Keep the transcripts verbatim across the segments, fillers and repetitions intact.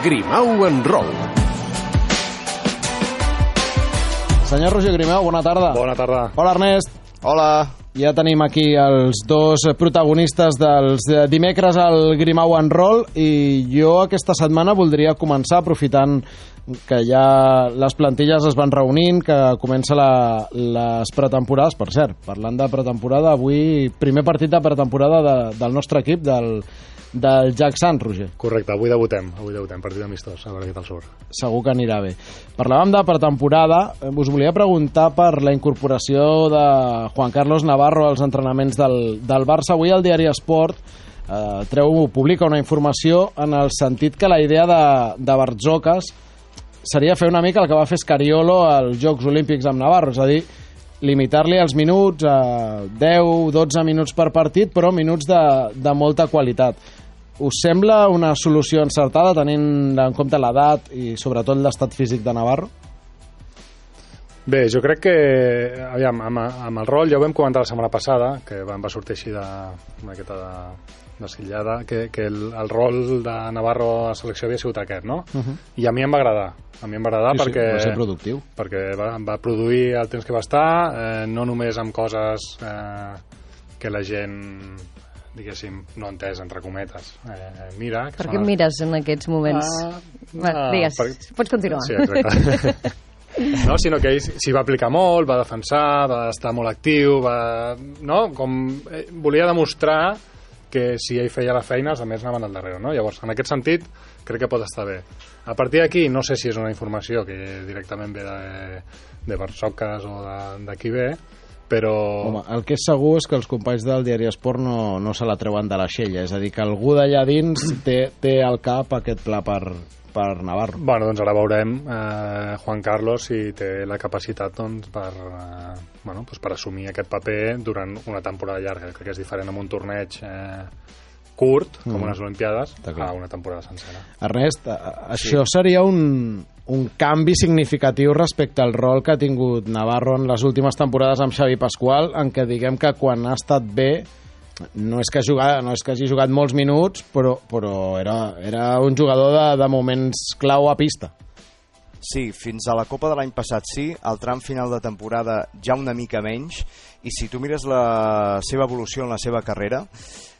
Grimau en Roll. Senyor Roger Grimau, bona tarda. Bona tarda. Hola, Ernest. Hola. Ja tenim aquí els dos protagonistes dels dimecres al Grimau en Roll i jo aquesta setmana voldria començar aprofitant que ja les plantilles es van reunint, que comença la, les pretemporades. Per cert, parlant de pretemporada, avui primer partit de pretemporada de, del nostre equip, del, del Jack Sant, Roger. Correcte, avui debutem, avui debutem, partit amistós, a Berguet del Sur. Segur que anirà bé. Parlàvem de pretemporada, us volia preguntar per la incorporació de Juan Carlos Navarro als entrenaments del, del Barça. Avui el diari Esport eh, treu, publica una informació en el sentit que la idea de, de Bartzocas seria fer una mica el que va fer Scariolo als Jocs Olímpics amb Navarro, és a dir, limitar-li els minuts a deu dotze minuts per partit, però minuts de, de molta qualitat. Us sembla una solució encertada tenint en compte l'edat i sobretot l'estat físic de Navarro? Bé, jo crec que, aviam, amb, amb el rol ja ho vam comentar la setmana passada, que va, va sortir així de, una miqueta de, de sillada, que, que el, el rol de Navarro a la selecció havia sigut aquest, no? Uh -huh. I a mi em va agradar. A mi em va agradar sí, perquè, sí, va ser productiu. perquè va, va produir el temps que va estar, eh, no només amb coses eh, que la gent, diguéssim, no entès, entre cometes. Eh, mira... Per què mires en aquests moments? Ah, bueno, ah, digues, per... pots continuar. Sí, exacte. No, sinó que ell s'hi va aplicar molt, va defensar, va estar molt actiu, va... no? Com eh, volia demostrar que si ell feia la feina, els altres anaven al darrere, no? Llavors, en aquest sentit, crec que pot estar bé. A partir d'aquí, no sé si és una informació que directament ve de, de Barçocas o de, de qui ve, però... Home, el que és segur és que els companys del diari Esport no, no se la treuen de l'aixella, és a dir, que algú d'allà dins té, té al cap aquest pla per, per Navarro. Bueno, doncs ara veurem eh, Juan Carlos si té la capacitat doncs, per, eh, bueno, doncs per assumir aquest paper durant una temporada llarga. Crec que és diferent amb un torneig eh, curt, com mm. unes Olimpiades, a una temporada sencera. Ernest, això sí. seria un, un canvi significatiu respecte al rol que ha tingut Navarro en les últimes temporades amb Xavi Pasqual, en què diguem que quan ha estat bé no és que, jugat, no és que hagi jugat molts minuts, però, però era, era un jugador de, de moments clau a pista. Sí, fins a la Copa de l'any passat sí, al tram final de temporada ja una mica menys, i si tu mires la seva evolució en la seva carrera,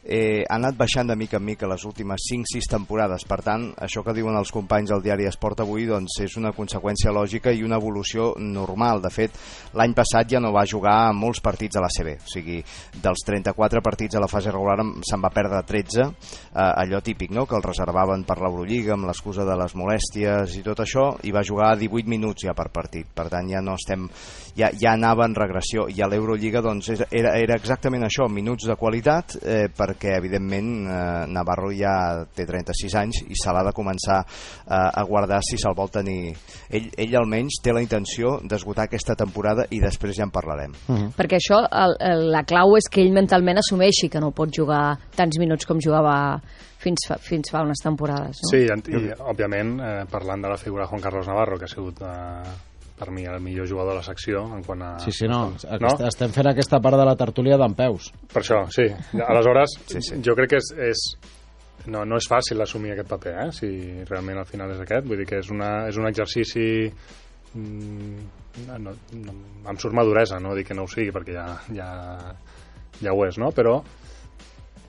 eh, ha anat baixant de mica en mica les últimes cinc sis temporades. Per tant, això que diuen els companys del diari Esport avui doncs és una conseqüència lògica i una evolució normal. De fet, l'any passat ja no va jugar molts partits a la C B, o sigui, dels trenta-quatre partits a la fase regular se'n va perdre tretze, eh, allò típic, no?, que el reservaven per l'Eurolliga amb l'excusa de les molèsties i tot això, i va jugar divuit minuts ja per partit. Per tant, ja no estem, ja, ja anava en regressió, i a l'Eurolliga doncs era, era exactament això, minuts de qualitat, eh, perquè evidentment eh, Navarro ja té trenta-sis anys i se l'ha de començar eh, a guardar si se'l vol tenir. Ell, ell almenys té la intenció d'esgotar aquesta temporada i després ja en parlarem. Uh-huh. Perquè això, el, el, la clau és que ell mentalment assumeixi que no pot jugar tants minuts com jugava fins fa, fins fa unes temporades, no? Sí, i, i òbviament eh, parlant de la figura de Juan Carlos Navarro, que ha sigut eh, per mi el millor jugador de la secció en quant a... Sí, sí, no, no? Estem fent aquesta part de la tertúlia d'en peus. Per això, sí. Aleshores, sí, sí. jo crec que és, és no, no és fàcil assumir aquest paper, eh? Si realment al final és aquest, vull dir que és, una, és un exercici mm, no, no, no, em surt maduresa, no dic que no ho sigui perquè ja, ja, ja ho és, no? Però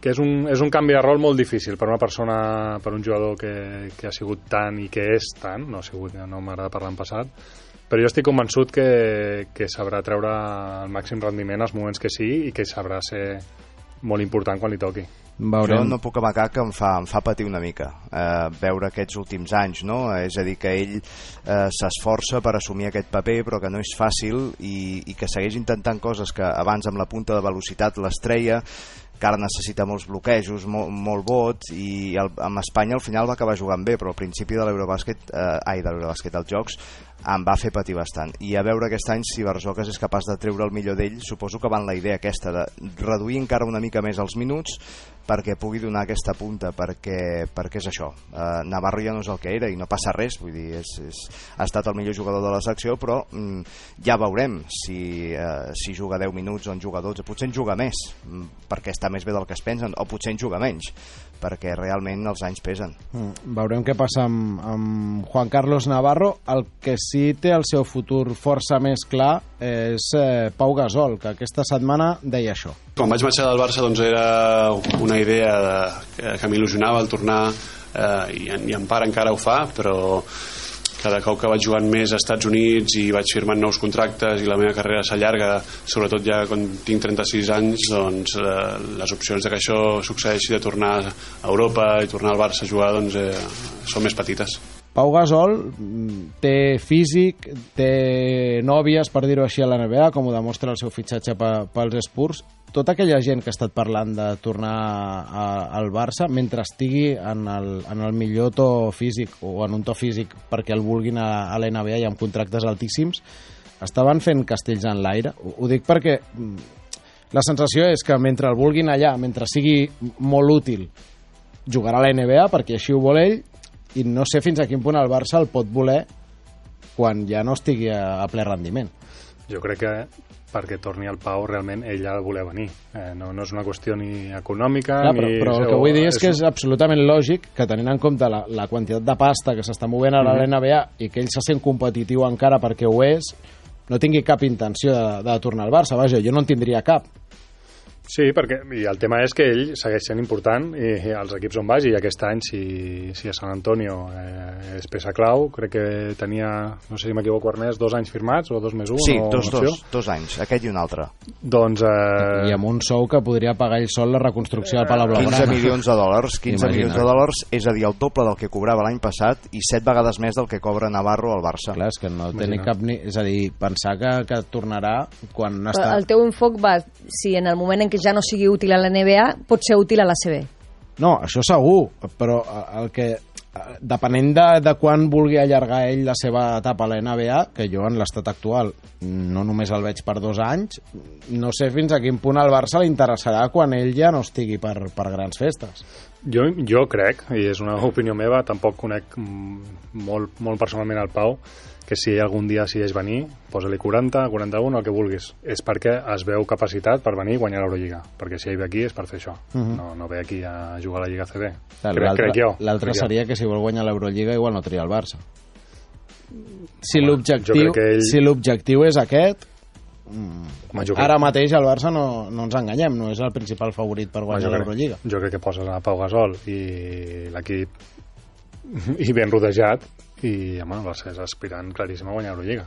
que és un, és un canvi de rol molt difícil per una persona, per un jugador que, que ha sigut tant i que és tant, no ha sigut, no m'agrada parlar en passat, però jo estic convençut que, que sabrà treure el màxim rendiment als moments que sigui i que sabrà ser molt important quan li toqui. Veurem. Jo no puc amagar que em fa, em fa patir una mica eh, veure aquests últims anys, no? És a dir, que ell eh, s'esforça per assumir aquest paper però que no és fàcil i, i que segueix intentant coses que abans amb la punta de velocitat les treia, que ara necessita molts bloquejos, molt, molt vot, i el, amb Espanya al final va acabar jugant bé, però al principi de l'Eurobàsquet, eh, ai, de l'Eurobàsquet, als Jocs, em va fer patir bastant. I a veure aquest any si Barzocas és capaç de treure el millor d'ell. Suposo que va en la idea aquesta de reduir encara una mica més els minuts perquè pugui donar aquesta punta, perquè, perquè és això. Uh, Navarro ja no és el que era i no passa res, vull dir, és, és, ha estat el millor jugador de la secció, però mm, ja veurem si, uh, si juga deu minuts o en juga dotze, potser en juga més, perquè està més bé del que es pensen, o potser en juga menys, perquè realment els anys pesen. Mm, veurem què passa amb, amb Juan Carlos Navarro. El que sí té el seu futur força més clar és eh, Pau Gasol, que aquesta setmana deia això. Quan vaig marxar del Barça doncs era una idea de, que, que m'il·lusionava el tornar, eh, i, i en part encara ho fa, però cada cop que vaig jugant més a Estats Units i vaig firmant nous contractes i la meva carrera s'allarga, sobretot ja quan tinc trenta-sis anys, doncs eh, les opcions de que això succeeixi, de tornar a Europa i tornar al Barça a jugar, doncs eh, són més petites. Pau Gasol té físic, té nòvies, per dir-ho així, a la N B A, com ho demostra el seu fitxatge pels Spurs. Tota aquella gent que ha estat parlant de tornar a, al Barça, mentre estigui en el, en el millor to físic o en un to físic perquè el vulguin a, a la N B A i amb contractes altíssims, estaven fent castells en l'aire. Ho, ho dic perquè la sensació és que mentre el vulguin allà, mentre sigui molt útil, jugarà a la N B A perquè així ho vol ell, i no sé fins a quin punt el Barça el pot voler quan ja no estigui a, a ple rendiment. Jo crec que perquè torni el Pau realment ell ha de voler venir, eh, no, no és una qüestió ni econòmica. Clar, però, ni... però el que vull dir és que és absolutament lògic que, tenint en compte la, la quantitat de pasta que s'està movent ara a l'N B A i que ell se sent competitiu encara perquè ho és, no tingui cap intenció de, de tornar al Barça. Vaja, jo no en tindria cap. Sí, perquè i el tema és que ell segueix sent important i, i els equips on vagi, i aquest any si, si a San Antonio eh, és peça clau, crec que tenia, no sé si m'equivoco, Ernest, dos anys firmats o dos més un? Sí, o dos, dos, dos anys, aquest i un altre. Doncs... Eh... I amb un sou que podria pagar ell sol la reconstrucció del Palau Blaugrana. quinze milions de dòlars, quinze Imagina. milions de dòlars, és a dir, el doble del que cobrava l'any passat i set vegades més del que cobra Navarro al Barça. Clar, és que no té ni cap ni... És a dir, pensar que, que tornarà quan està... El teu enfoc va, si en el moment en què ja no sigui útil a la N B A, pot ser útil a la C B. No, això segur, però el que depenent de, de quan vulgui allargar ell la seva etapa a la N B A, que jo en l'estat actual no només el veig per dos anys, no sé fins a quin punt al Barça li interessarà quan ell ja no estigui per, per grans festes. Jo, jo crec, i és una opinió meva, tampoc conec molt, molt personalment el Pau, que si algun dia decideix venir, posa-li quaranta, quaranta-un, el que vulguis. És perquè es veu capacitat per venir i guanyar l'Eurolliga. Perquè si ell ve aquí és per fer això. Uh-huh. No, no ve aquí a jugar a la Lliga C B. Crec, crec jo. L'altre seria que si vol guanyar l'Eurolliga igual no tria el Barça. Si l'objectiu ell... si l'objectiu és aquest, Home, ara mateix el Barça no, no ens enganyem, no és el principal favorit per guanyar l'Eurolliga. Jo crec que poses a Pau Gasol i l'equip i ben rodejat i home, el Barça és aspirant claríssim a guanyar l'Eurolliga.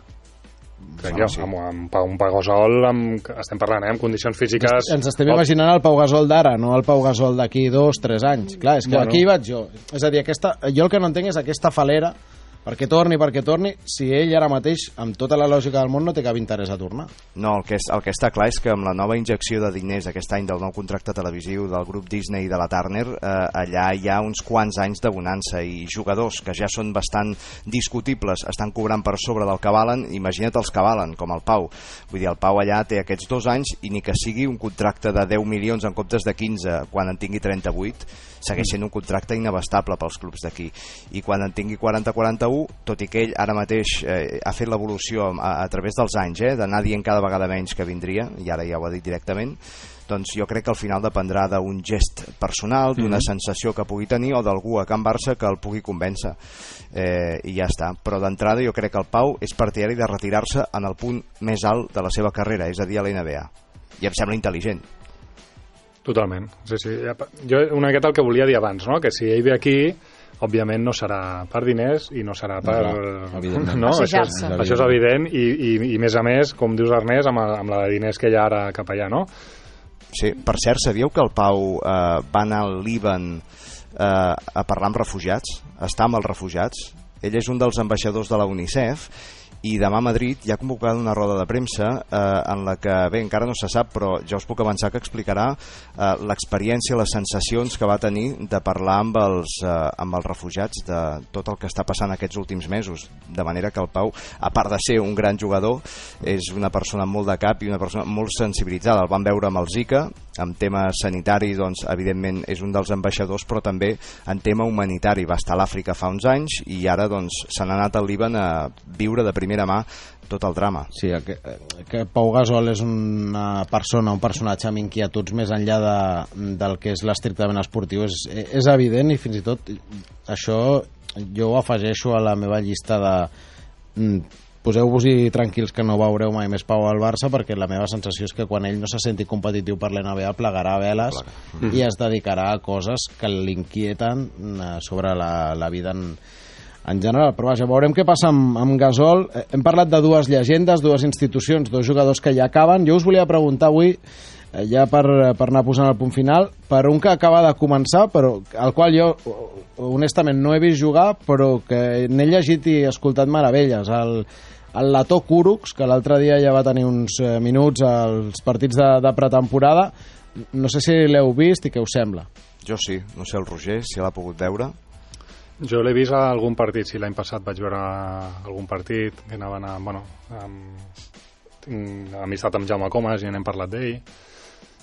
Crec jo, sí. amb, amb, amb un Pau Gasol amb, estem parlant, eh, amb condicions físiques... Ens estem imaginant el Pau Gasol d'ara, no el Pau Gasol d'aquí dos, tres anys. Clar, és que bueno. Aquí hi vaig jo. És a dir, aquesta, jo el que no entenc és aquesta falera perquè torni, perquè torni, si ell ara mateix, amb tota la lògica del món, no té cap interès a tornar. No, el que, és, el que està clar és que amb la nova injecció de diners aquest any del nou contracte televisiu del grup Disney i de la Turner, eh, allà hi ha uns quants anys de bonança i jugadors que ja són bastant discutibles, estan cobrant per sobre del que valen, imagina't els que valen, com el Pau. Vull dir, el Pau allà té aquests dos anys i ni que sigui un contracte de deu milions en comptes de quinze quan en tingui trenta-vuit, segueix sent un contracte inabastable pels clubs d'aquí. I quan en tingui quaranta quaranta-u, tot i que ell ara mateix eh, ha fet l'evolució a, a través dels anys, eh, d'anar dient cada vegada menys que vindria, i ara ja ho ha dit directament, doncs jo crec que al final dependrà d'un gest personal, d'una mm-hmm. sensació que pugui tenir o d'algú a Can Barça que el pugui convèncer. Eh, I ja està. Però d'entrada jo crec que el Pau és partidari de retirar-se en el punt més alt de la seva carrera, és a dir, a la N B A. I em sembla intel·ligent. Totalment. Sí, sí. Jo una miqueta el que volia dir abans, no? Que si ell ve aquí, òbviament no serà per diners i no serà per... No, no, això, és, això és evident i, i, i més a més, com dius Ernest, amb, amb la de diners que hi ha ara cap allà, no? Sí, per cert, sabíeu que el Pau eh, va anar al Líban eh, a parlar amb refugiats? Està amb els refugiats? Ell és un dels ambaixadors de la UNICEF i demà a Madrid hi ha convocada una roda de premsa eh, en la que, bé, encara no se sap, però ja us puc avançar que explicarà eh, l'experiència, les sensacions que va tenir de parlar amb els, eh, amb els refugiats de tot el que està passant aquests últims mesos, de manera que el Pau, a part de ser un gran jugador, és una persona amb molt de cap i una persona molt sensibilitzada. El vam veure amb el Zika, en tema sanitari, doncs, evidentment és un dels ambaixadors, però també en tema humanitari. Va estar a l'Àfrica fa uns anys i ara doncs, se n'ha anat al Líban a viure de primera mà tot el drama. Sí, que, que Pau Gasol és una persona, un personatge amb inquietuds més enllà de, del que és l'estrictament esportiu, és, és evident, i fins i tot això jo ho afegeixo a la meva llista de poseu-vos-hi tranquils que no veureu mai més Pau al Barça, perquè la meva sensació és que quan ell no se senti competitiu per l'N B A plegarà veles mm. i es dedicarà a coses que l'inquieten sobre la, la vida en, en general. Però vaja, veurem què passa amb, amb Gasol. Hem parlat de dues llegendes, dues institucions, dos jugadors que ja acaben. Jo us volia preguntar avui, ja per, per anar posant el punt final, per un que acaba de començar, però al qual jo honestament no he vist jugar, però que n'he llegit i escoltat meravelles, el, el Lato Kurucs, que l'altre dia ja va tenir uns minuts als partits de, de pretemporada. No sé si l'heu vist i què us sembla. Jo sí, no sé el Roger, si l'ha pogut veure. Jo l'he vist a algun partit, sí, l'any passat vaig veure algun partit que anaven a... Bueno, amb, tinc amistat amb Jaume Comas i n'hem parlat d'ell.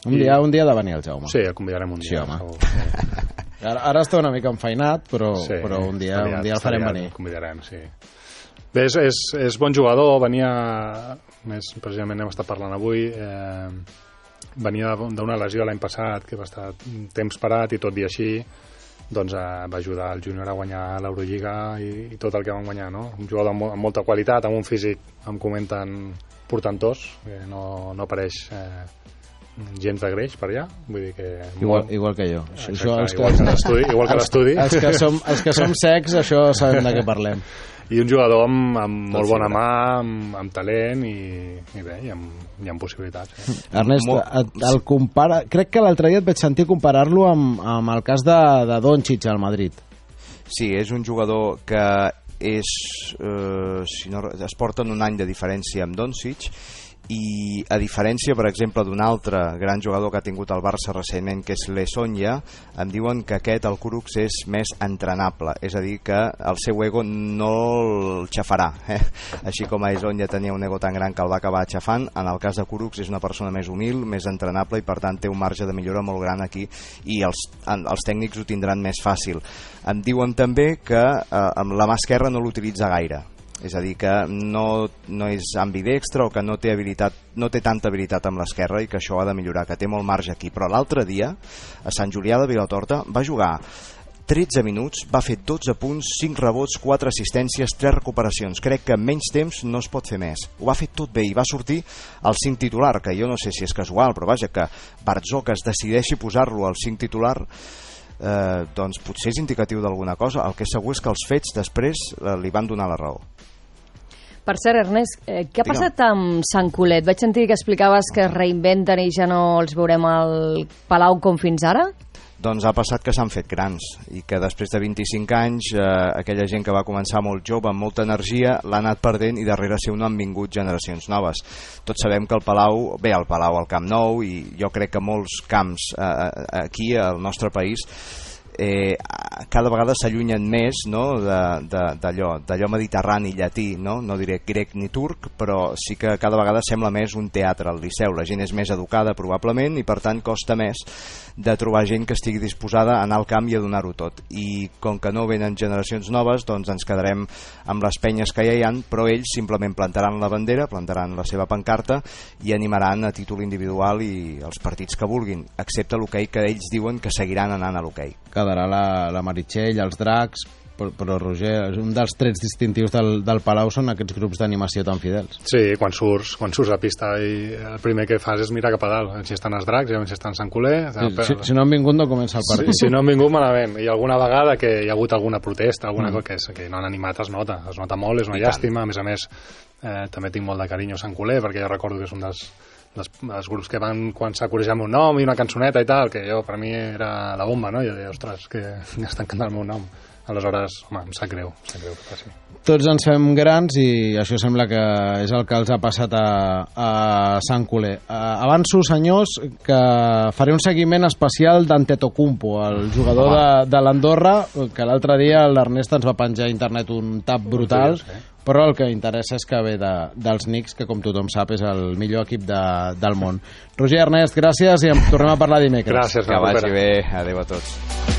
Un dia, un dia ha de venir el Jaume. Sí, el convidarem un dia. Sí, home. Sí. Ara, ara està una mica enfeinat, però, sí, però un dia, un dia el farem venir. El convidarem, sí. Bé, és, és, és bon jugador, venia, més precisament hem estat parlant avui, eh, venia d'una lesió l'any passat, que va estar temps parat, i tot i així doncs, eh, va ajudar el júnior a guanyar l'Eurolliga i, i tot el que van guanyar, no? Un jugador amb, amb molta qualitat, amb un físic, em comenten, portantós, que no, no apareix... Eh, gens de greix per allà, vull dir que... Igual, igual que jo. Exacte, això, els igual que l'estudi. Igual que l'estudi. Els, els, que som, els que som secs, això sabem de què parlem. I un jugador amb, amb molt bona mà, amb, amb talent i, i bé, i amb, i amb possibilitats. Eh? Ernest, et, el compara... crec que l'altre dia et vaig sentir comparar-lo amb, amb el cas de, de Doncic al Madrid. Sí, és un jugador que és, eh, si no, es porten un any de diferència amb Doncic, i a diferència, per exemple, d'un altre gran jugador que ha tingut el Barça recentment, que és l'Esonja, em diuen que aquest, el Kurucs, és més entrenable, és a dir, que el seu ego no el xafarà, eh? Així com a Esonja tenia un ego tan gran que el va acabar xafant, en el cas de Kurucs és una persona més humil, més entrenable, i per tant té un marge de millora molt gran aquí, i els, els tècnics ho tindran més fàcil. Em diuen també que eh, amb la mà esquerra no l'utilitza gaire, és a dir, que no, no és ambidextre o que no té, habilitat, no té tanta habilitat amb l'esquerra i que això ha de millorar, que té molt marge aquí. Però l'altre dia, a Sant Julià de Vilatorta, va jugar tretze minuts, va fer dotze punts, cinc rebots, quatre assistències, tres recuperacions. Crec que en menys temps no es pot fer més. Ho va fer tot bé i va sortir al cinc titular, que jo no sé si és casual, però vaja, que Bartzó, que es decideixi posar-lo al cinc titular, eh, doncs potser és indicatiu d'alguna cosa. El que és segur és que els fets després eh, li van donar la raó. Per cert, Ernest, eh, què ha passat amb Sant Colet? Vaig sentir que explicaves que es reinventen i ja no els veurem al Palau com fins ara? Doncs ha passat que s'han fet grans i que després de vint-i-cinc anys eh, aquella gent que va començar molt jove, amb molta energia, l'ha anat perdent i darrere seu no han vingut generacions noves. Tots sabem que el Palau, bé, el Palau al Camp Nou, i jo crec que molts camps eh, aquí al nostre país eh, cada vegada s'allunyen més, no, d'allò d'allò mediterrani, llatí, no? No diré grec ni turc, però sí que cada vegada sembla més un teatre al Liceu. La gent és més educada probablement i per tant costa més de trobar gent que estigui disposada a anar al camp i a donar-ho tot. I com que no venen generacions noves, doncs ens quedarem amb les penyes que ja hi ha, però ells simplement plantaran la bandera, plantaran la seva pancarta i animaran a títol individual i els partits que vulguin, excepte l'hoquei, que ells diuen que seguiran anant a l'hoquei. Quedarà la, la Meritxell, els dracs, però, però Roger, un dels trets distintius del, del Palau són aquests grups d'animació tan fidels. Sí, quan surts, quan surts a pista i el primer que fas és mirar cap a dalt, si estan els dracs, si estan Sant Coler... Sí, si, si no han vingut no comença el partit. Si, si no han vingut malament, i alguna vegada que hi ha hagut alguna protesta, alguna mm. cosa que, és, que no han animat es nota, es nota molt, és una I llàstima, tant. A més a més eh, també tinc molt de carinyo a Sant Coler, perquè jo recordo que és un dels Les, els grups que van quan s'ha corregit el meu nom i una cançoneta i tal, que jo per mi era la bomba, no? Jo deia, ostres, que estan cantant el meu nom aleshores, home, em sap greu, em sap greu que passi. Tots ens fem grans i això sembla que és el que els ha passat a, a Sant Culer. Uh, avanço, senyors, que faré un seguiment especial d'Antetokounmpo, el jugador de, de l'Andorra, que l'altre dia l'Ernest ens va penjar a internet un tap brutal, però el que interessa és que ve de, dels Knicks, que com tothom sap és el millor equip de, del món. Roger, Ernest, gràcies i en tornem a parlar dimecres. Gràcies. Que vagi bé. Adéu a tots.